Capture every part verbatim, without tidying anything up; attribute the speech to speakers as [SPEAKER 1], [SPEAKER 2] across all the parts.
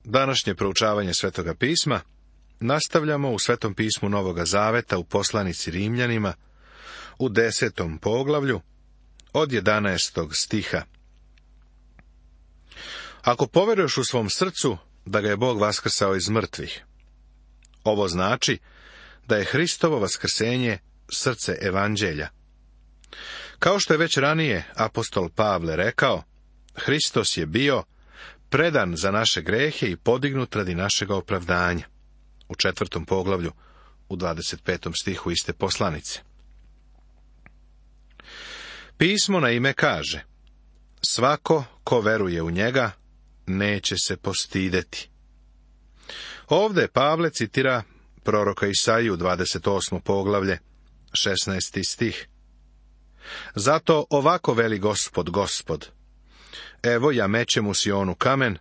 [SPEAKER 1] Današnje proučavanje Svetoga pisma nastavljamo u Svetom pismu Novoga Zaveta u poslanici Rimljanima u desetom poglavlju od jedanaestog stiha. Ako poveruješ u svom srcu da ga je Bog vaskrsao iz mrtvih, ovo znači da je Hristovo vaskrsenje srce evanđelja. Kao što je već ranije apostol Pavle rekao, Hristos je bio predan za naše grehe i podignut radi našega opravdanja. U četvrtom poglavlju, u dvadeset petom stihu iste poslanice. Pismo na ime kaže, svako ko veruje u njega, neće se postideti. Ovde Pavle citira proroka Isaiju, dvadeset osmo poglavlje, šesnaesti stih. Zato ovako veli Gospod, Gospod, evo ja mećem u Sionu kamen,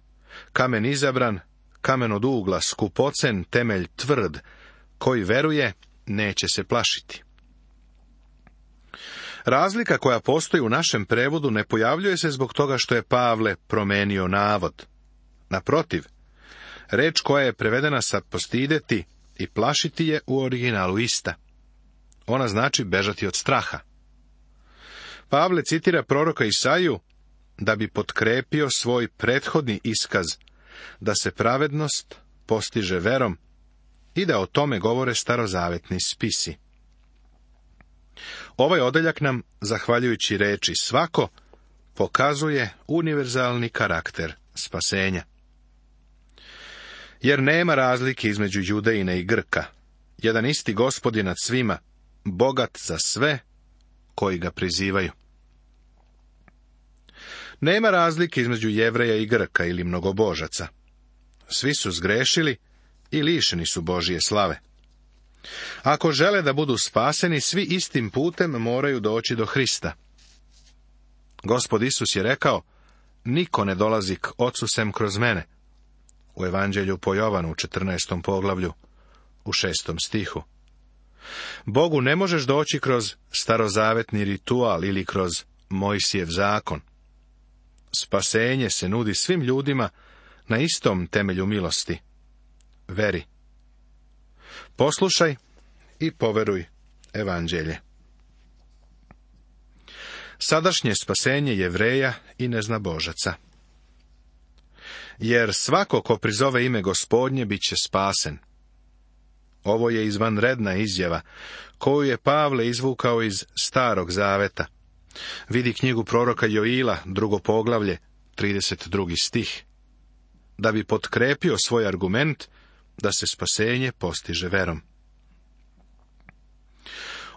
[SPEAKER 1] kamen izabran, kamen od ugla, skupocen, temelj tvrd, koji veruje, neće se plašiti. Razlika koja postoji u našem prevodu ne pojavljuje se zbog toga što je Pavle promenio navod. Naprotiv, reč koja je prevedena sa postideti i plašiti je u originalu ista. Ona znači bežati od straha. Pavle citira proroka Isaiju da bi potkrepio svoj prethodni iskaz, da se pravednost postiže verom i da o tome govore starozavetni spisi. Ovaj odeljak nam, zahvaljujući reči svako, pokazuje univerzalni karakter spasenja. Jer nema razlike između Judejina i Grka. Jedan isti Gospod je nad svima, bogat za sve koji ga prizivaju. Nema razlike između Jevreja i Grka ili mnogobožaca. Svi su zgrešili i lišeni su Božije slave. Ako žele da budu spaseni, svi istim putem moraju doći do Hrista. Gospod Isus je rekao, niko ne dolazi k Ocu sem kroz mene. U Evanđelju po Jovanu u četrnaestom poglavlju, u šestom stihu. Bogu ne možeš doći kroz starozavetni ritual ili kroz Mojsijev zakon. Spasenje se nudi svim ljudima na istom temelju milosti. Veri. Poslušaj i poveruj evanđelje. Sadašnje spasenje Jevreja i neznabožaca. Jer svako ko prizove ime Gospodnje bit će spasen. Ovo je izvanredna izjava, koju je Pavle izvukao iz Starog Zaveta. Vidi knjigu proroka Joila, drugo poglavlje, trideset drugi stih. Da bi potkrepio svoj argument da se spasenje postiže verom.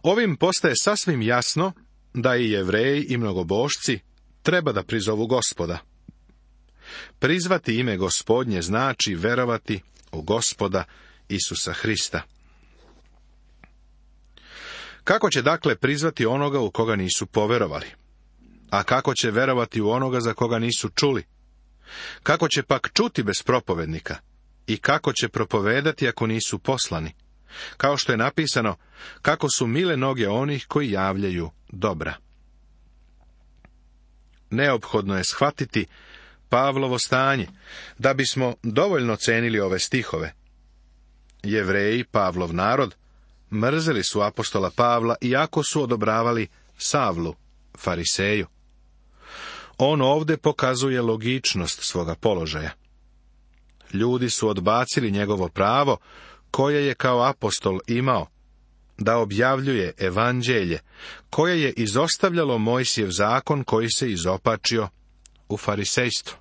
[SPEAKER 1] Ovim postaje sasvim jasno da i Jevreji i mnogobošci treba da prizovu Gospoda. Prizvati ime Gospodnje znači verovati u Gospoda Isusa Hrista. Kako će dakle prizvati onoga u koga nisu poverovali? A kako će verovati u onoga za koga nisu čuli? Kako će pak čuti bez propovednika? I kako će propovedati ako nisu poslani? Kao što je napisano, kako su mile noge onih koji javljaju dobra. Neophodno je shvatiti Pavlovo stanje, da bismo dovoljno cenili ove stihove. Jevreji, Pavlov narod, mrzeli su apostola Pavla, iako su odobravali Savlu, fariseju. On ovde pokazuje logičnost svoga položaja. Ljudi su odbacili njegovo pravo, koje je kao apostol imao, da objavljuje evanđelje, koje je izostavljalo Mojsijev zakon koji se izopačio u farisejstvo.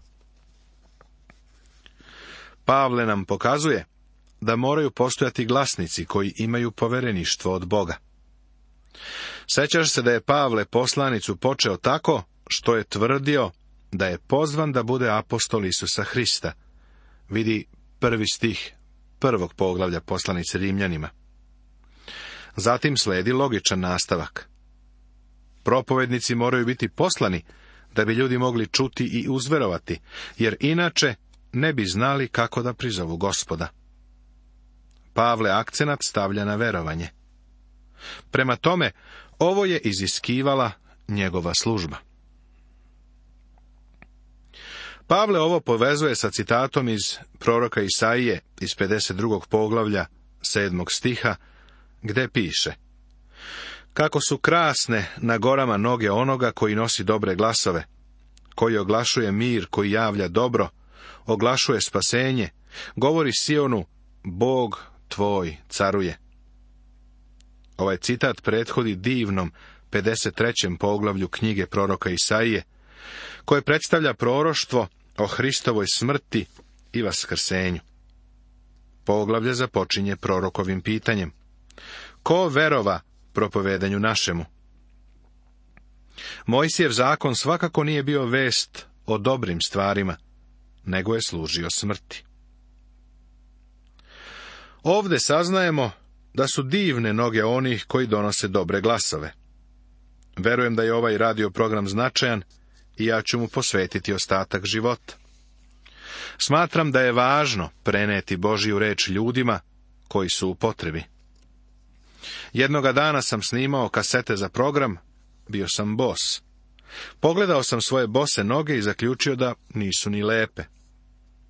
[SPEAKER 1] Pavle nam pokazuje da moraju postojati glasnici koji imaju povereništvo od Boga. Sećaš se da je Pavle poslanicu počeo tako što je tvrdio da je pozvan da bude apostol Isusa Hrista. Vidi prvi stih prvog poglavlja poslanice Rimljanima. Zatim sledi logičan nastavak. Propovednici moraju biti poslani da bi ljudi mogli čuti i uzverovati, jer inače ne bi znali kako da prizovu Gospoda. Pavle akcenat stavlja na verovanje. Prema tome, ovo je iziskivala njegova služba. Pavle ovo povezuje sa citatom iz proroka Isaije iz pedeset drugog poglavlja sedmog stiha, gde piše: kako su krasne na gorama noge onoga koji nosi dobre glasove, koji oglašuje mir, koji javlja dobro, oglašuje spasenje, govori Sionu, Bog tvoj caruje. Ovaj citat prethodi divnom pedeset trećem poglavlju knjige proroka Isaije, koje predstavlja proroštvo o Hristovoj smrti i vaskrsenju. Poglavlje započinje prorokovim pitanjem: ko verova propovedanju našemu? Mojsijev zakon svakako nije bio vest o dobrim stvarima, nego je služio smrti. Ovde saznajemo da su divne noge onih koji donose dobre glasove. Verujem da je ovaj radio program značajan i ja ću mu posvetiti ostatak života. Smatram da je važno preneti Božju reč ljudima koji su u potrebi. Jednoga dana sam snimao kasete za program, bio sam bos. Pogledao sam svoje bose noge i zaključio da nisu ni lepe.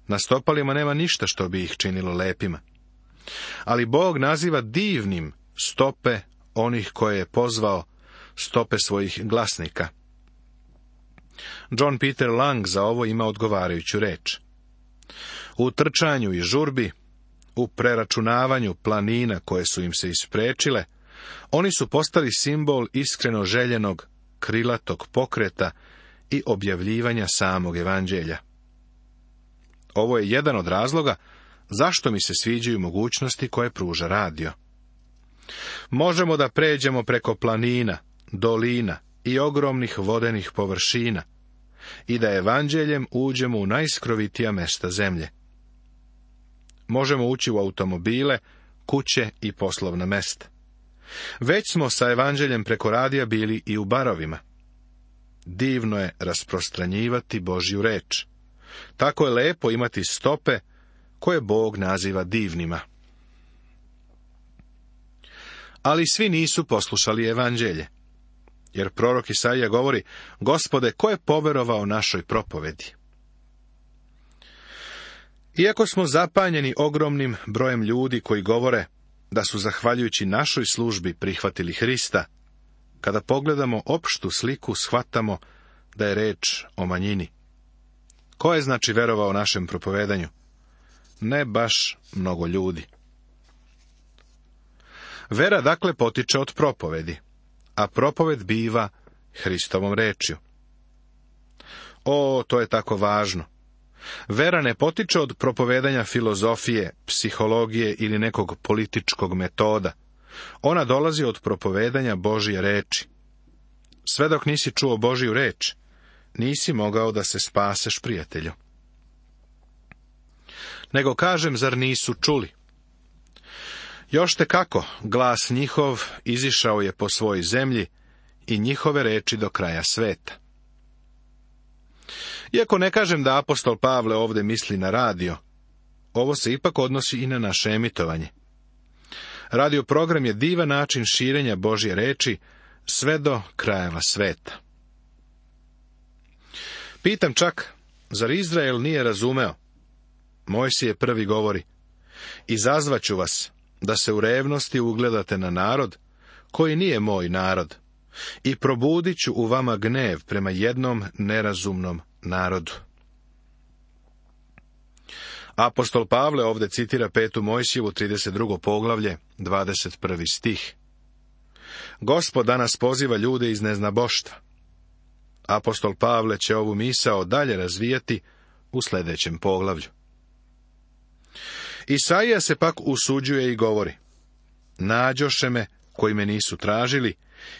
[SPEAKER 1] Na stopalima nema ništa što bi ih činilo lepima. Ali Bog naziva divnim stope onih koje je pozvao, stope svojih glasnika. John Peter Lang za ovo ima odgovarajuću reč: u trčanju i žurbi, u preračunavanju planina koje su im se isprečile, oni su postali simbol iskreno željenog, krilatog pokreta i objavljivanja samog evanđelja. Ovo je jedan od razloga zašto mi se sviđaju mogućnosti koje pruža radio. Možemo da pređemo preko planina, dolina i ogromnih vodenih površina i da evanđeljem uđemo u najskrovitija mesta zemlje. Možemo ući u automobile, kuće i poslovna mesta. Već smo sa evanđeljem preko radija bili i u barovima. Divno je rasprostranjivati Božju reč. Tako je lepo imati stope koje Bog naziva divnima. Ali svi nisu poslušali evanđelje. Jer prorok Isaija govori: Gospode, ko je poverovao našoj propovedi? Iako smo zapanjeni ogromnim brojem ljudi koji govore da su zahvaljujući našoj službi prihvatili Hrista, kada pogledamo opštu sliku, shvatamo da je reč o manjini. Ko je znači verovao našem propovedanju? Ne baš mnogo ljudi. Vera dakle potiče od propovedi, a propoved biva Hristovom rečju. O, to je tako važno. Vera ne potiče od propovedanja filozofije, psihologije ili nekog političkog metoda. Ona dolazi od propovedanja Božje reči. Sve dok nisi čuo Božju reč, nisi mogao da se spaseš, prijatelju. Nego kažem, zar nisu čuli? Još te kako, glas njihov izišao je po svojoj zemlji i njihove reči do kraja sveta. Iako ne kažem da apostol Pavle ovde misli na radio, ovo se ipak odnosi i na naše emitovanje. Radio program je divan način širenja Božje reči sve do krajeva sveta. Pitam čak, zar Izrael nije razumeo? Mojsije prvi govori: izazvaću vas da se u revnosti ugledate na narod koji nije moj narod i probudit ću u vama gnev prema jednom nerazumnom narodu. Apostol Pavle ovde citira petu Mojsijevu trideset drugo poglavlje, dvadeset prvi stih. Gospod danas poziva ljude iz neznaboštva. Apostol Pavle će ovu misao dalje razvijati u sljedećem poglavlju. Isaija se pak usuđuje i govori: nađoše me koji me nisu tražili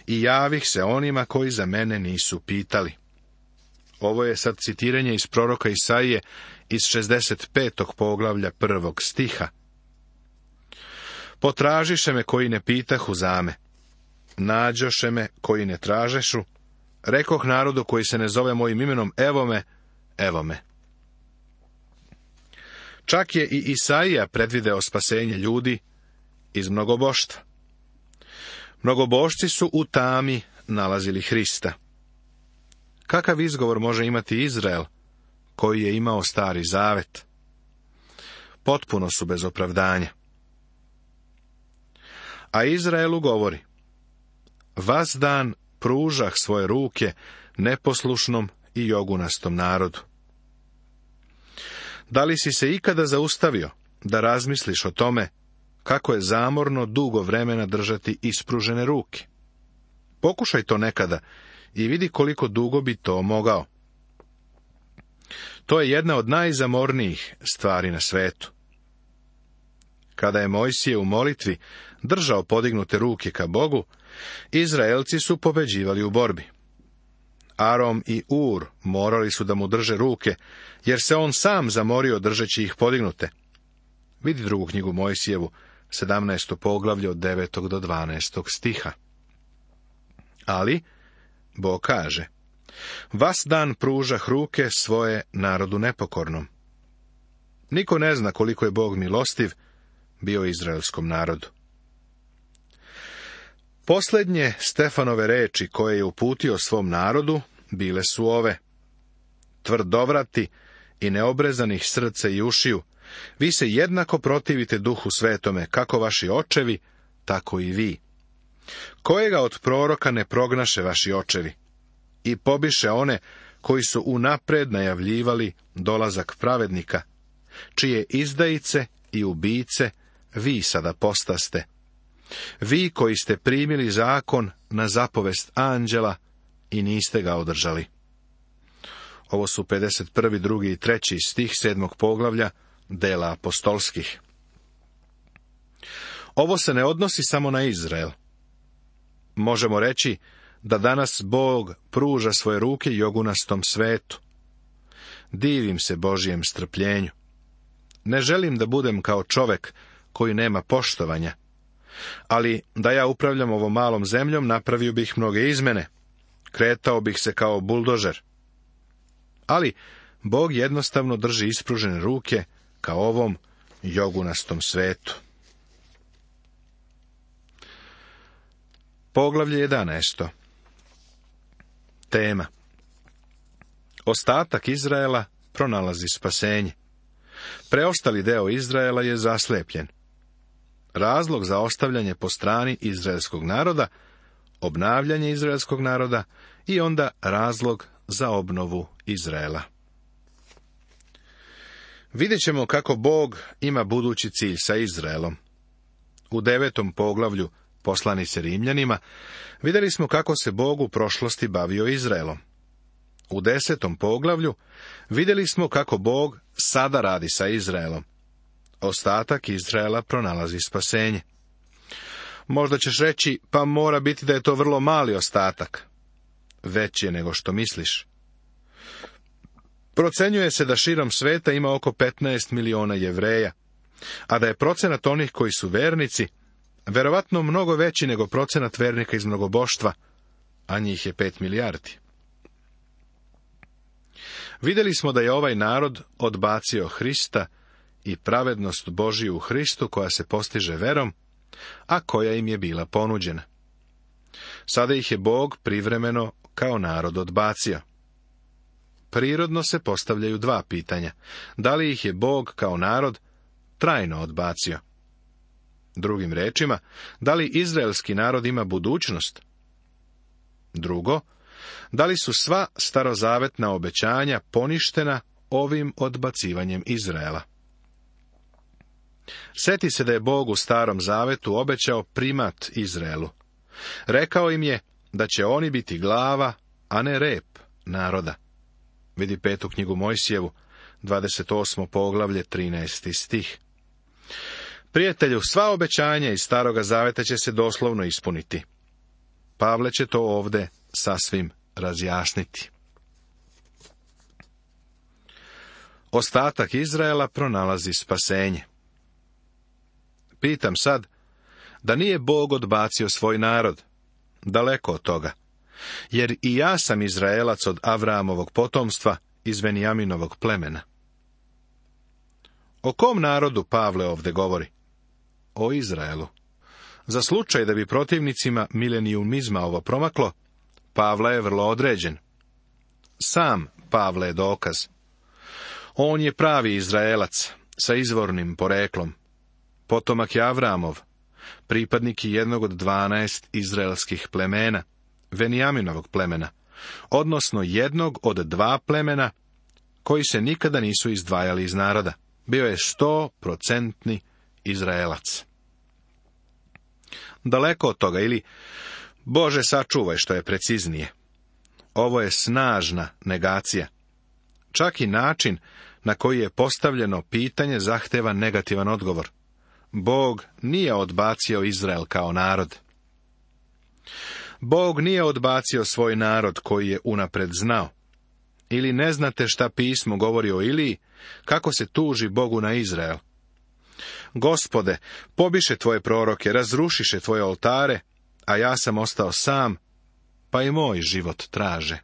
[SPEAKER 1] i javih se onima koji za mene nisu pitali. Ovo je sad citiranje iz proroka Isaije iz šezdeset petog poglavlja prvog stiha. Potražiše me koji ne pitahu za me, nađoše me koji ne tražešu, rekoh narodu koji se ne zove mojim imenom, evo me, evo me. Čak je i Isaija predvideo spasenje ljudi iz mnogoboštva. Mnogobošci su u tami nalazili Hrista. Kakav izgovor može imati Izrael koji je imao stari zavet. Potpuno su bez opravdanja. A Izraelu govori: vas dan pružah svoje ruke neposlušnom i jogunastom narodu. Da li si se ikada zaustavio da razmisliš o tome kako je zamorno dugo vremena držati ispružene ruke? Pokušaj to nekada i vidi koliko dugo bi to mogao. To je jedna od najzamornijih stvari na svetu. Kada je Mojsije u molitvi držao podignute ruke ka Bogu, Izraelci su pobeđivali u borbi. Arom i Ur morali su da mu drže ruke, jer se on sam zamorio držeći ih podignute. Vidi drugu knjigu Mojsijevu, sedamnaesto poglavlje od devetog do dvanaestog stiha. Ali, Bog kaže: vas dan pružah ruke svoje narodu nepokornom. Niko ne zna koliko je Bog milostiv bio izraelskom narodu. Posljednje Stefanove reči koje je uputio svom narodu bile su ove: tvrdovrati i neobrezanih srca i ušiju, vi se jednako protivite Duhu Svetome, kako vaši očevi, tako i vi. Kojega od proroka ne prognaše vaši očevi? I pobiše one koji su unapred najavljivali dolazak pravednika, čije izdajice i ubice vi sada postaste. Vi koji ste primili zakon na zapovest anđela i niste ga održali. Ovo su pedeset prvi, drugi i treći stih sedmog poglavlja Dela apostolskih. Ovo se ne odnosi samo na Izrael. Možemo reći da danas Bog pruža svoje ruke jogunastom svetu. Divim se Božijem strpljenju. Ne želim da budem kao čovek koji nema poštovanja, ali da ja upravljam ovom malom zemljom, napravio bih mnoge izmene. Kretao bih se kao buldožer. Ali Bog jednostavno drži ispružene ruke ka ovom jogunastom svetu. Poglavlje jedanaesto. Tema: ostatak Izraela pronalazi spasenje. Preostali deo Izraela je zaslepljen. Razlog za ostavljanje po strani izraelskog naroda, obnavljanje izraelskog naroda i onda razlog za obnovu Izraela. Vidjet ćemo kako Bog ima budući cilj sa Izraelom. U devetom poglavlju poslanice Rimljanima vidjeli smo kako se Bog u prošlosti bavio Izraelom. U desetom poglavlju vidjeli smo kako Bog sada radi sa Izraelom. Ostatak Izraela pronalazi spasenje. Možda ćeš reći, pa mora biti da je to vrlo mali ostatak. Veći je nego što misliš. Procenjuje se da širom sveta ima oko petnaest miliona Jevreja, a da je procenat onih koji su vernici verovatno mnogo veći nego procenat vernika iz mnogoboštva, a njih je pet milijardi. Vidjeli smo da je ovaj narod odbacio Hrista i pravednost Božiju u Hristu koja se postiže verom, a koja im je bila ponuđena. Sada ih je Bog privremeno kao narod odbacio. Prirodno se postavljaju dva pitanja. Da li ih je Bog kao narod trajno odbacio? Drugim rečima, da li izraelski narod ima budućnost? Drugo, da li su sva starozavetna obećanja poništena ovim odbacivanjem Izraela? Sjeti se da je Bog u Starom Zavetu obećao primat Izraelu. Rekao im je da će oni biti glava, a ne rep naroda. Vidi petu knjigu Mojsijevu, dvadeset osmo poglavlje, trinaesti stih. Prijatelju, sva obećanja iz Staroga Zaveta će se doslovno ispuniti. Pavle će to ovde sasvim razjasniti. Ostatak Izraela pronalazi spasenje. Pitam sad, da nije Bog odbacio svoj narod? Daleko od toga. Jer i ja sam Izraelac od Avramovog potomstva iz Venijaminovog plemena. O kom narodu Pavle ovde govori? O Izraelu. Za slučaj da bi protivnicima milenijumizma ovo promaklo, Pavle je vrlo određen. Sam Pavle je dokaz. On je pravi Izraelac, sa izvornim poreklom. Potomak je Avramov, pripadnik je jednog od dvanaest izraelskih plemena, Venijaminovog plemena, odnosno jednog od dva plemena koji se nikada nisu izdvajali iz naroda. Bio je sto procentni Izraelac. Daleko od toga, ili Bože sačuvaj što je preciznije. Ovo je snažna negacija. Čak i način na koji je postavljeno pitanje zahteva negativan odgovor. Bog nije odbacio Izrael kao narod. Bog nije odbacio svoj narod koji je unapred znao. Ili ne znate šta pismo govori o Iliji, kako se tuži Bogu na Izrael. Gospode, pobiše tvoje proroke, razrušiše tvoje oltare, a ja sam ostao sam, pa i moj život traže.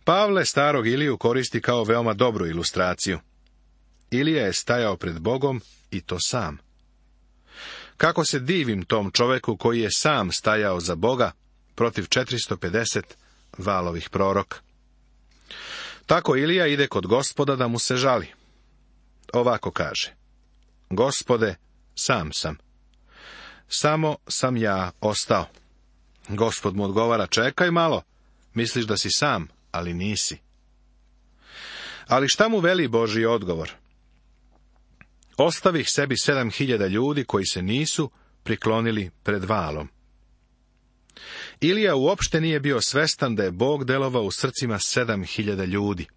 [SPEAKER 1] Pavle starog Iliju koristi kao veoma dobru ilustraciju. Ilija je stajao pred Bogom i to sam. Kako se divim tom čoveku koji je sam stajao za Boga protiv četiristo pedeset valovih proroka. Tako Ilija ide kod Gospoda da mu se žali. Ovako kaže: Gospode, sam sam. Samo sam ja ostao. Gospod mu odgovara: čekaj malo, misliš da si sam, ali nisi. Ali šta mu veli Božji odgovor? Ostavih sebi sedam hiljada ljudi koji se nisu priklonili pred valom. Ilija uopšte nije bio svestan da je Bog delovao u srcima sedam hiljada ljudi.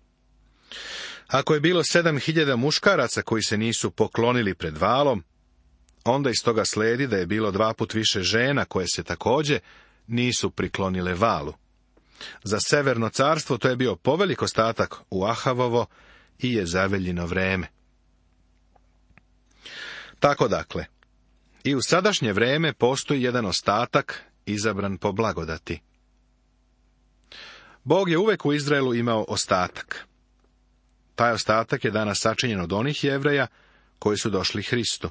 [SPEAKER 1] Ako je bilo sedam hiljada muškaraca koji se nisu poklonili pred valom, onda iz toga sledi da je bilo dva put više žena koje se također nisu priklonile valu. Za severno carstvo to je bio povelik ostatak u Ahavovo i Jezaveljino vreme. Tako dakle, i u sadašnje vreme postoji jedan ostatak izabran po blagodati. Bog je uvek u Izraelu imao ostatak. Taj ostatak je danas sačinjen od onih Jevreja koji su došli Hristu.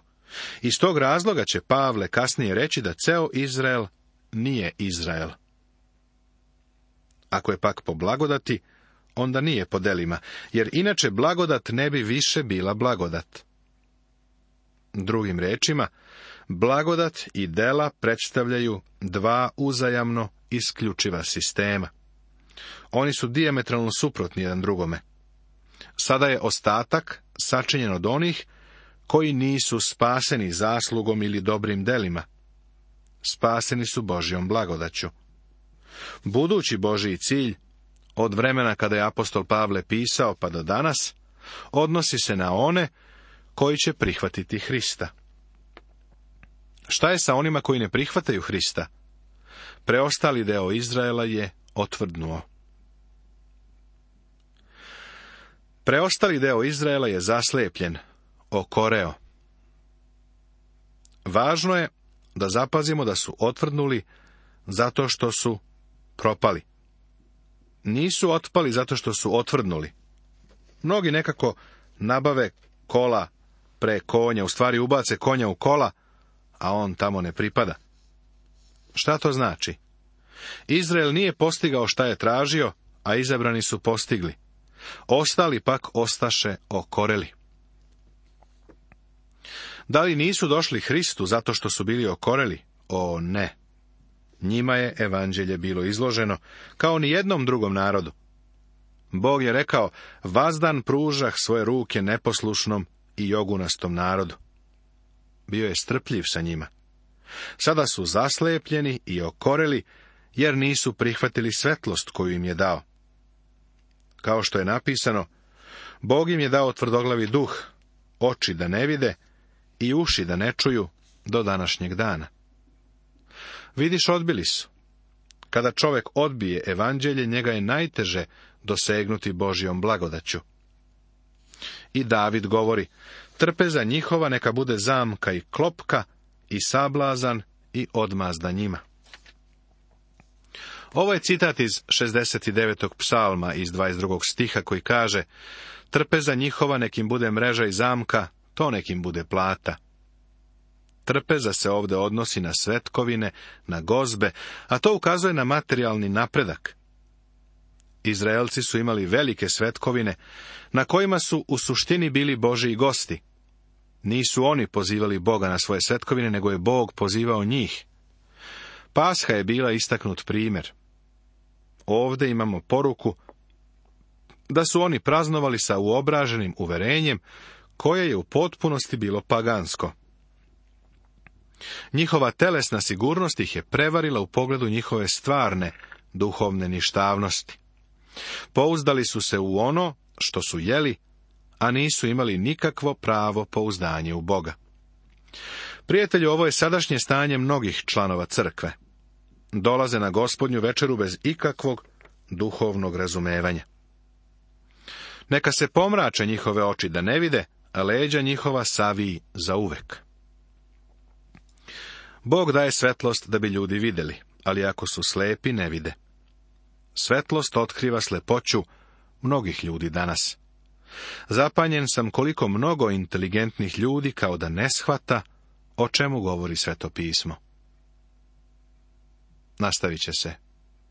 [SPEAKER 1] Iz tog razloga će Pavle kasnije reći da ceo Izrael nije Izrael. Ako je pak po blagodati, onda nije po delima, jer inače blagodat ne bi više bila blagodat. Drugim rečima, blagodat i dela predstavljaju dva uzajamno isključiva sistema. Oni su dijametralno suprotni jedan drugome. Sada je ostatak sačinjen od onih koji nisu spaseni zaslugom ili dobrim delima. Spaseni su Božjom blagodaću. Budući Božji cilj, od vremena kada je apostol Pavle pisao pa do danas, odnosi se na one koji će prihvatiti Hrista. Šta je sa onima koji ne prihvataju Hrista? Preostali deo Izraela je otvrdnuo. Preostali deo Izraela je zaslepljen, okoreo. Važno je da zapazimo da su otvrdnuli zato što su propali. Nisu otpali zato što su otvrdnuli. Mnogi nekako nabave kola pre konja, u stvari ubace konja u kola, a on tamo ne pripada. Šta to znači? Izrael nije postigao šta je tražio, a izabrani su postigli. Ostali pak ostaše okoreli. Da li nisu došli Hristu zato što su bili okoreli? O ne. Njima je evanđelje bilo izloženo kao ni jednom drugom narodu. Bog je rekao: vazdan pružah svoje ruke neposlušnom i jogunastom narodu. Bio je strpljiv sa njima. Sada su zaslepljeni i okoreli, jer nisu prihvatili svetlost koju im je dao. Kao što je napisano, Bog im je dao tvrdoglavi duh, oči da ne vide i uši da ne čuju do današnjeg dana. Vidiš, odbili su. Kada čovjek odbije evanđelje, njega je najteže dosegnuti Božjom blagodaću. I David govori: trpeza njihova neka bude zamka i klopka i sablazan i odmazda njima. Ovo je citat iz šezdeset devetog psalma iz dvadeset drugog stiha koji kaže: trpeza njihova nekim bude mreža i zamka, to nekim bude plata. Trpeza se ovdje odnosi na svetkovine, na gozbe, a to ukazuje na materijalni napredak. Izraelci su imali velike svetkovine, na kojima su u suštini bili Božiji gosti. Nisu oni pozivali Boga na svoje svetkovine, nego je Bog pozivao njih. Pasha je bila istaknut primjer. Ovdje imamo poruku da su oni praznovali sa uobraženim uverenjem, koje je u potpunosti bilo pagansko. Njihova telesna sigurnost ih je prevarila u pogledu njihove stvarne, duhovne ništavnosti. Pouzdali su se u ono što su jeli, a nisu imali nikakvo pravo pouzdanje u Boga. Prijatelju, ovo je sadašnje stanje mnogih članova crkve. Dolaze na Gospodnju večeru bez ikakvog duhovnog razumevanja. Neka se pomrače njihove oči da ne vide, a leđa njihova saviji zauvek. Bog daje svetlost da bi ljudi vidjeli, ali ako su slepi ne vide. Svetlost otkriva slepoću mnogih ljudi danas. Zapanjen sam koliko mnogo inteligentnih ljudi kao da ne shvata o čemu govori Sveto pismo. Nastavit će se